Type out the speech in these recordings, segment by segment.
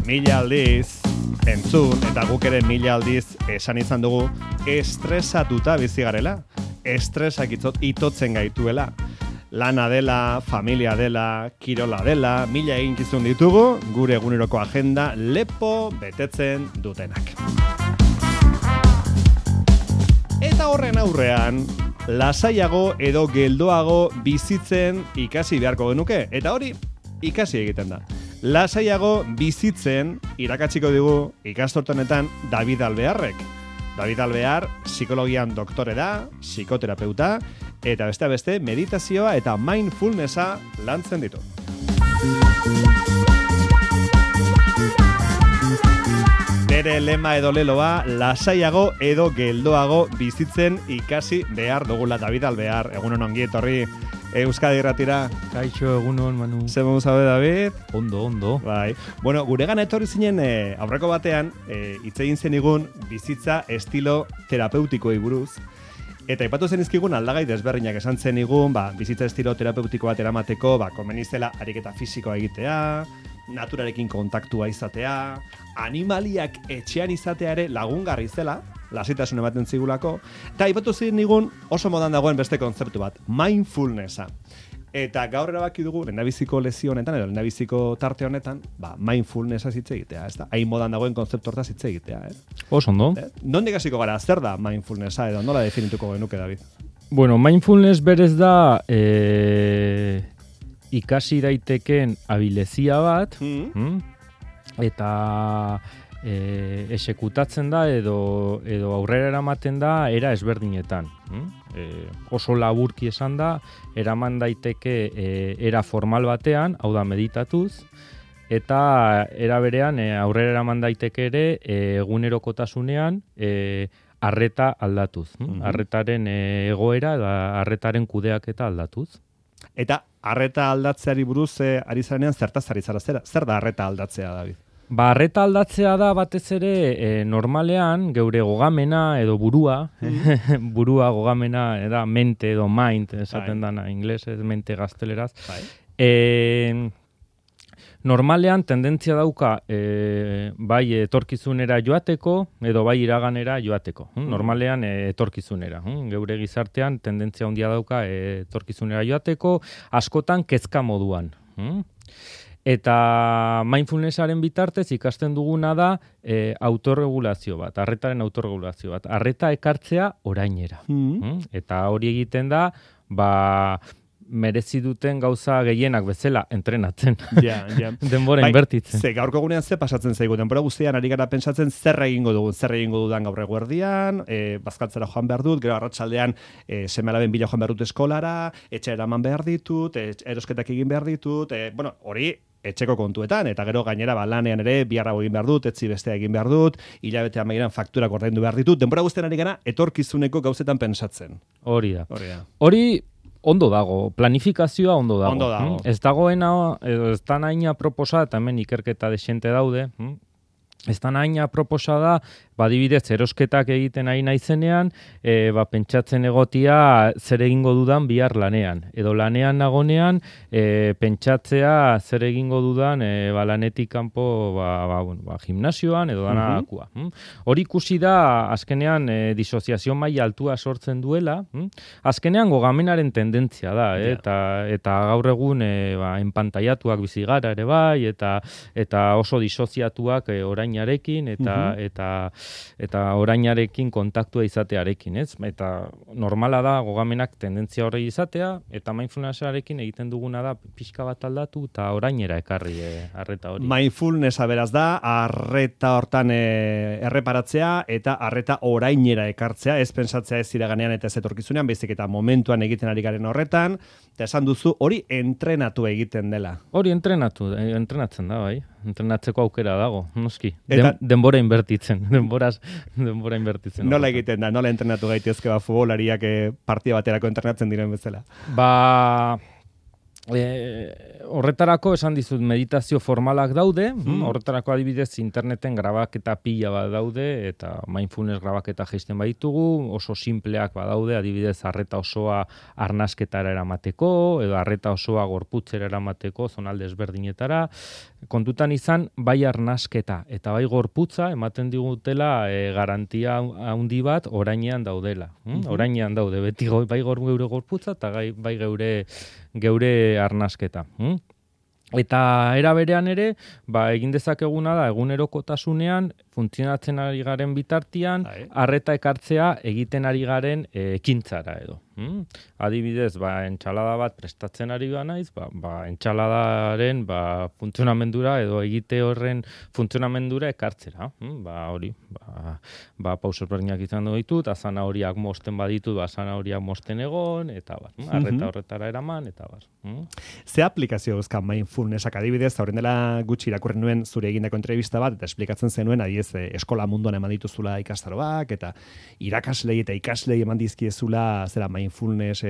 mila aldiz entzun, eta guk ere mila aldiz esan izan dugu, estresatuta bizi garela, estresak itotzen gaituela. Lana dela, familia dela, kirola dela, mila eginkizun ditugu, gure eguneroko agenda lepo betetzen dutenak. Eta horren aurrean, lasaiago edo geldoago bizitzen ikasi beharko genuke, eta hori ikasi egiten da. Lasaiago bizitzen irakatsiko digu ikasturte-honetan David Alvearrek. David Alvear psikologian doktore da, psikoterapeuta, eta beste meditazioa eta mindfulnessa lantzen ditu. Bere lema edo leloa, lasaiago edo geldoago bizitzen ikasi behar dugula. David Alvear, egunon ongi etorri Euskadi Irratira. Kaixo, egunon, Manu. Zer moduz zaude, David? Ondo. Bai. Bueno, guregana etorri zinen aurreko batean, hitz egin zenigun bizitza estilo terapeutikoei buruz. Eta aipatu zenizkigun aldagai desberdinak esan zenigun, bizitza estilo terapeutiko bat eramateko, komenizela ariketa fisikoa egitea, naturarekin kontaktua izatea, animaliak etxean izatea ere lagungarri zela, lasitasun ematen zigulako, eta aipatu zenigun oso modan dagoen beste kontzeptu bat, mindfulnessa. Eta gaur erabaki dugu, lehendabiziko lezio honetan, edo lehendabiziko tarte honetan, mindfulnessa hitz egitea, ez da? Hain modan dagoen kontzeptu hortaz hitz egitea, Oso ondo. Nondik hasiko gara, zer da mindfulnessa, edo nola definituko genuke, David? Bueno, mindfulness berez da ikasi daiteken abilezia bat, eta esekutatzen da edo aurrera eramaten da era ezberdinetan. Oso laburki esan da, eraman daiteke era formal batean, hau da meditatuz, eta era berean aurrera eraman daiteke ere egunerokotasunean arreta aldatuz. Arretaren egoera eta arretaren kudeaketa aldatuz. Eta arreta aldatzeari buruz ari zarenean zertaz ari zara, zer da arreta aldatzea, David? Arreta aldatzea da batez ere normalean geure gogamena edo burua, burua gogamena da mente edo mind, esaten dana inglesez, mente gazteleraz. Normalean tendentzia dauka bai etorkizunera joateko edo bai iraganera joateko. Normalean etorkizunera. Geure gizartean tendentzia handia dauka etorkizunera joateko, askotan kezka moduan. Eta mindfulnessaren bitartez ikasten duguna da autorregulazio bat, arretaren autorregulazio bat. Arreta ekartzea orainera. Eta hori egiten da, merezi duten gauza gehienak bezala entrenatzen. Ja. Denbora inbertitzen. Ze gaurko egunean ze pasatzen zaigu, denbora guztian ari gara pentsatzen zer egingo dudan gaur eguerdian, bazkaltzera joan behar dut, gero arratsaldean seme-alaben bila joan behar dut eskolara, etxe eraman behar ditut, erosketak egin behar ditut, hori etxeko kontuetan, eta gero gainera lanean ere biharra egin behar dut, etzi bestea egin behar dut, hilabete amaieran fakturak ordaindu behar ditut, denbora guztian ari gara etorkizuneko gauzetan pentsatzen. Hori da. Hori ondo dago, planifikazioa ondo dago. Ondo dago. Ez dagoena, ez da naina proposa, eta hemen ikerketa desente daude, ez da naina proposa da, adibidez, erosketak egiten ari naizenean, pentsatzen egotia zer egingo dudan bihar lanean. Edo lanean nagonean, pentsatzea zer egingo dudan lanetik kanpo gimnasioan edo danakua. Hori ikusi da, azkenean disoziazio maila altua sortzen duela, azkenean gogamenaren tendentzia da, eta gaur egun enpantaiatuak bizi gara ere bai, eta oso disoziatuak orainarekin, eta orainarekin kontaktua izatearekin, ez? Eta normala da gogamenak tendentzia horri izatea, eta mindfulnessarekin egiten duguna da pixka bat aldatu eta orainera ekarri arreta hori. Mindfulnessa beraz da, arreta hortan erreparatzea eta arreta orainera ekartzea, ez pentsatzea ez iraganean eta ez etorkizunean, baizik eta momentuan egiten ari garen horretan, eta esan duzu hori entrenatu egiten dela. Hori entrenatzen da, bai. Entrenatzeko aukera dago, noski. Denbora inbertitzen. Denbora inbertitzen. Nola egiten da? Nola entrenatu gaitezke futbolariak partida baterako entrenatzen diren bezala? Horretarako esan dizut meditazio formalak daude, horretarako adibidez interneten grabaketa pila bat daude, eta mindfulness grabaketa jaisten baditugu, oso simpleak badaude, adibidez arreta osoa arnasketara eramateko, edo arreta osoa gorputzera eramateko, zonalde ezberdinetara, kontutan izan, bai arnasketa eta bai gorputza ematen digutela garantia handi bat orainean daudela. Orainean daude, beti bai geure gorputza eta bai geure arnasketa. Eta era berean ere, egin dezakeguna da egunerokotasunean funtzionatzen ari garen bitartean, arreta ekartzea egiten ari garen ekintzara edo. Adibidez, entsalada bat prestatzen ari naiz, entsaladaren funtzionamendura edo egite horren funtzionamendura ekartzera. Hori, pauso berdinak izan ditut, zanahoriak mosten baditut, zanahoriak mosten egon, eta arreta horretara eraman, eta Ze aplikazio euskan mindfulnessak adibidez, horren dela gutxi irakurri nuen zure egindako entrevista bat, eta esplikatzen zenuen, adiez, eskola munduan eman dituzula ikastaroak, eta irakaslei eta ikaslei eman dizkiezula zera mindfulness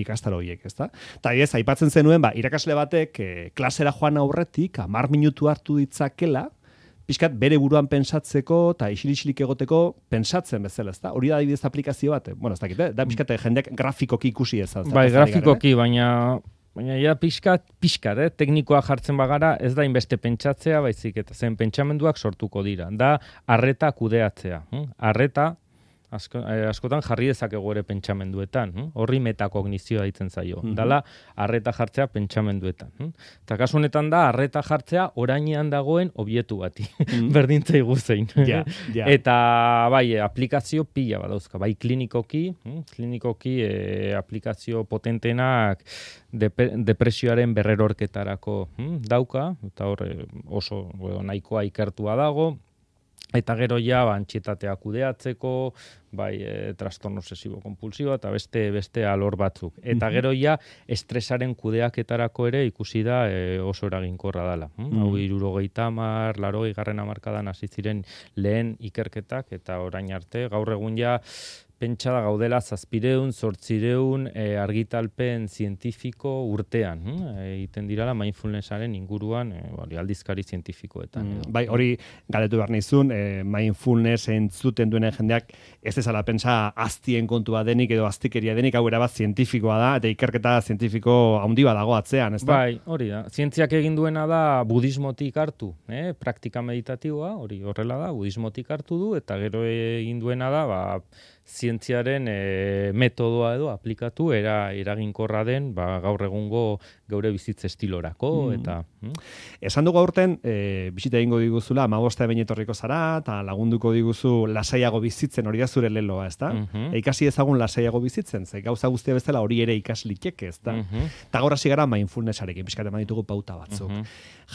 ikastaro horiek, ezta? Eta adiez, aipatzen zenuen, irakasle batek klasera joan aurretik, 10 minutu hartu ditzakela, pixkat bere buruan pentsatzeko eta isilik egoteko pentsatzen bezala, ezta? Hori da adibidez aplikazio bat, ez dakit, da pixkat jendeak grafikoki ikusi ez. Grafikoki, baina ja pixkat, teknikoa jartzen bagara, ez da inbeste pentsatzea, baizik eta zen pentsamenduak sortuko dira. Da, arreta kudeatzea. Arreta, askotan jarri dezakegu ere pentsamenduetan. Horri metakognizioa ditzen zaio. Dala, arreta jartzea pentsamenduetan. Eta kasu honetan da, arreta jartzea orainean dagoen objektu bati. Berdintzai guzein. Eta, aplikazio pila badauzka. Klinikoki aplikazio potentenak depresioaren berrerorketarako dauka, eta hor oso nahikoa ikertua dago, eta gero ja antsietatea kudeatzeko, trastorno obsesibo-kompulsibo eta beste alor batzuk. Eta gero ja estresaren kudeaketarako ere ikusi da oso eraginkorra dela. Hau 70, 80 hamarkadan hasi ziren lehen ikerketak, eta orain arte gaur egun ja pentsa da gaudela 700, 800 argitalpen zientifiko urtean. Egiten dirala mindfulnessaren inguruan aldizkari zientifikoetan. Hori galdetu behar nizun, mindfulness entzuten duenen jendeak ez ezala pentsa aztien kontua denik edo aztikeria denik, hau erabat zientifikoa da, eta ikerketa zientifiko handi bat dago atzean, ez da? Hori da. Zientziak egin duena da budismotik hartu, praktika meditatiboa, hori horrela da, budismotik hartu du, eta gero egin duena da, zientziaren metodoa edo aplikatu eraginkorra den gaur egungo geure bizitza estilorako eta esan dugu aurten bisita egingo diguzula 15 behin etorriko zara eta lagunduko diguzu lasaiago bizitzen, hori da zure leloa, ezta? Ikasi ezagun lasaiago bizitzen, ze gauza guztia bezala hori ere ikaslikek, ezta? Ta gaur hasi gara mindfulnessarekin pixkat eman ditugu pauta batzuk.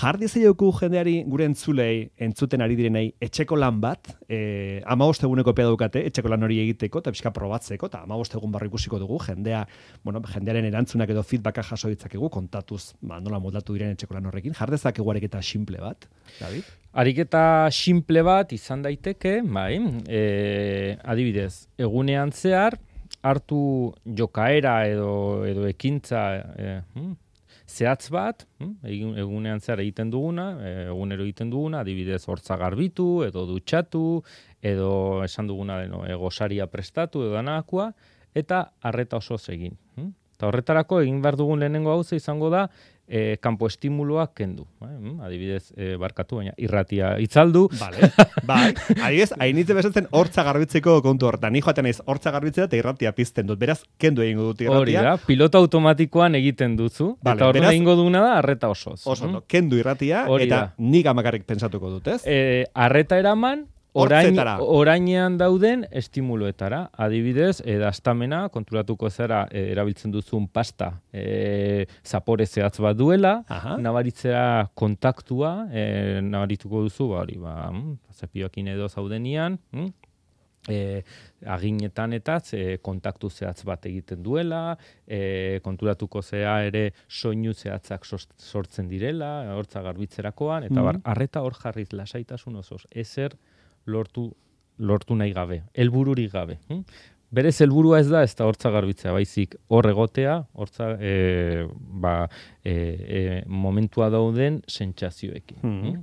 Jar diezaioku jendeari gure entzuten ari direnei etxeko lan bat, 15 eguneko epea daukate, etxeko lan hori egiteko eta pixka probatzeko, eta 15 egun barru ikusiko dugu, jendearen erantzunak edo feedbacka jaso ditzakegu, kontatuz nola moldatu diren etxeko lan horrekin. Jar dezakegu ariketa simple bat, David? Ariketa simple bat izan daiteke, adibidez, egunean zehar, hartu jokaera edo ekintza zehatz bat, egunean zehar egiten duguna, egunero egiten duguna, adibidez hortza garbitu, edo dutxatu, edo esan duguna gosaria prestatu, edo danakoa, eta arreta osoz egin. Eta horretarako egin behar dugun lehenengo gauza izango da, kanpo estimuloak kendu. Adibidez, barkatu, baina irratia itzaldu. Adibidez, hainitze bezatzen hortza garbitzeko kontu hortan. Ni joaten naiz hortza garbitzea eta irratia pizten dut. Beraz, kendu egingo dut irratia. Hori da, pilota automatikoan egiten duzu. Eta horren egingo duguna da, arreta osoz. Kendu irratia, eta nik amakarrik pentsatuko dut, ez? Arreta eraman, orainean dauden estimuloetara. Adibidez, daztamena, konturatuko zera erabiltzen duzun pasta zapore zehatz bat duela, nabaritzera kontaktua, nabarituko duzu, zapioakin edo zaudenian, aginetan eta kontaktu zehatz bat egiten duela, konturatuko zea ere soinu zehatzak sortzen direla, hortza garbitzerakoan, eta arreta hor jarriz lasaitasun osoz, ezer lortu nahi gabe, helbururik gabe. Berez helburua ez da hortza garbitzea, baizik hor egotea, hortza momentua dauden sentsazioekin.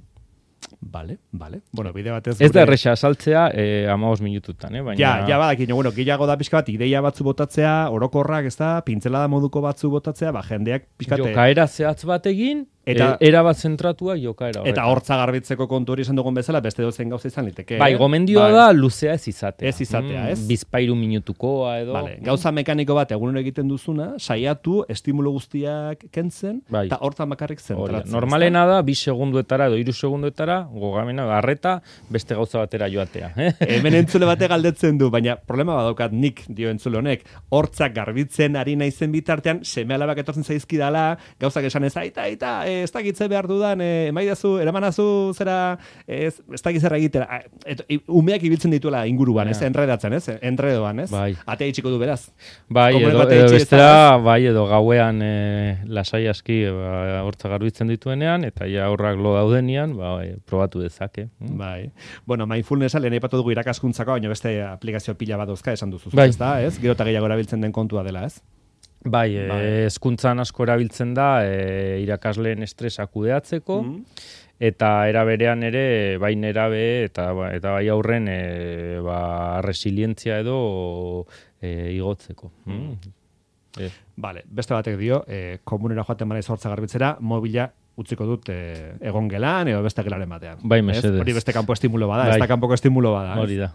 Vale. Bueno, bide batez... Ez da erresa asaltzea 15 minututan, baina... Ja, badakin, bueno, gehiago da pixka bat, ideia batzu botatzea, orokorrak, ez da, pintzelada moduko batzu botatzea, jendeak pixkate... Jokaera zehatz bat egin, eta erabat zentratua jokaera horretan. Eta hortza garbitzeko kontu hori esan dugun bezala, beste dozen gauza izan liteke. Bai, gomendioa da luzea ez izatea. Ez izatea, ez? Bizpairu minutukoa edo... Vale, gauza mekaniko bat egunero egiten duzuna, saiatu, estimulo guztiak kentzen, eta hortan bakarrik zentratzen. Normalena da, 2 segunduetara edo 3 segunduetara, gogamena, arreta, beste gauza batera joatea. Hemen entzule bate galdetzen du, baina problema badaukat nik, dio entzule honek, hortzak garbitzen ari naizen bitartean, seme-alabak etortzen zaizkidala, gauzak esan ez, aita, ez dakitze behar dudan, emaidazu, eramanazu zera, ez dakitzera egitera. Umeak ibiltzen dituela inguruan, ez? Enredatzen, ez? Enredoan, ez? Bai. Atea itxiko du beraz. Bai, edo bestera, edo gauean lasai aski hortza garbitzen dituenean, eta ja horrak lo daudenean, probatu dezake. Bai. Bueno, mindfulnessa lehen aipatu dugu irakaskuntzako, baina beste aplikazio pila bat dauzka esan duzu, bai. Ez da, ez? Gero eta gehiago erabiltzen den kontua dela, ez? Bai, hezkuntzan asko erabiltzen da irakasleen estresa kudeatzeko, eta eraberean ere, bai nerabe eta bai aurren resilientzia edo igotzeko. Vale, beste batek dio, komunera joaten bana hortza garbitzera, mobila utziko dut egon gelan edo beste gelaren batean. Bai, mesedez. Hori beste kanpo estimulo bada, ez da kanpoko estimulo bada. Hori da.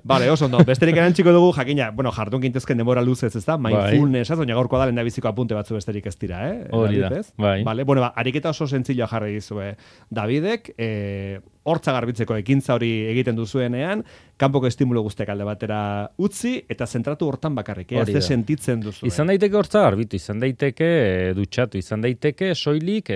Vale, oso ondo. Besterik erantziko dugu, jakina, bueno, jardun gintezken denbora luzez, ez da? Mindfulness, baina gaurko da lehendabiziko apunte batzu besterik ez dira, Hori da, bai. Vale, bueno, ariketa oso zentziloa jarri dizue Davidek, hortza garbitzeko ekintza hori egiten duzuenean, kanpoko estimulo guztiak alde batera utzi, eta zentratu hortan bakarrik, ez sentitzen duzu. Izan daiteke hortza garbitu, izan daiteke dutxatu, izan daiteke soilik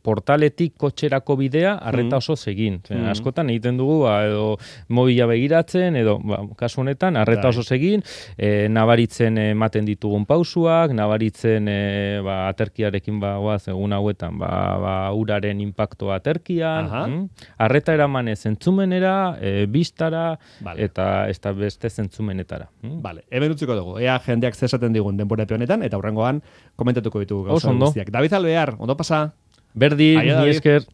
portaletik kotxerako bidea arreta oso egin. Askotan egiten dugu, edo mobila begiratzen, edo kasu honetan, arreta oso egin, nabaritzen ematen ditugun pausuak, nabaritzen aterkiarekin egun hauetan, uraren impactoa aterkian, arreta eramanez entzumenera, bistara, eta ez da beste zentzumenetara. Vale, hemen utziko dugu. Ea jendeak zesaten digun denbora honetan, eta hurrengoan komentatuko ditugu gauza guztiak. David Alvear, ondo pasa? Berdin, ni esker.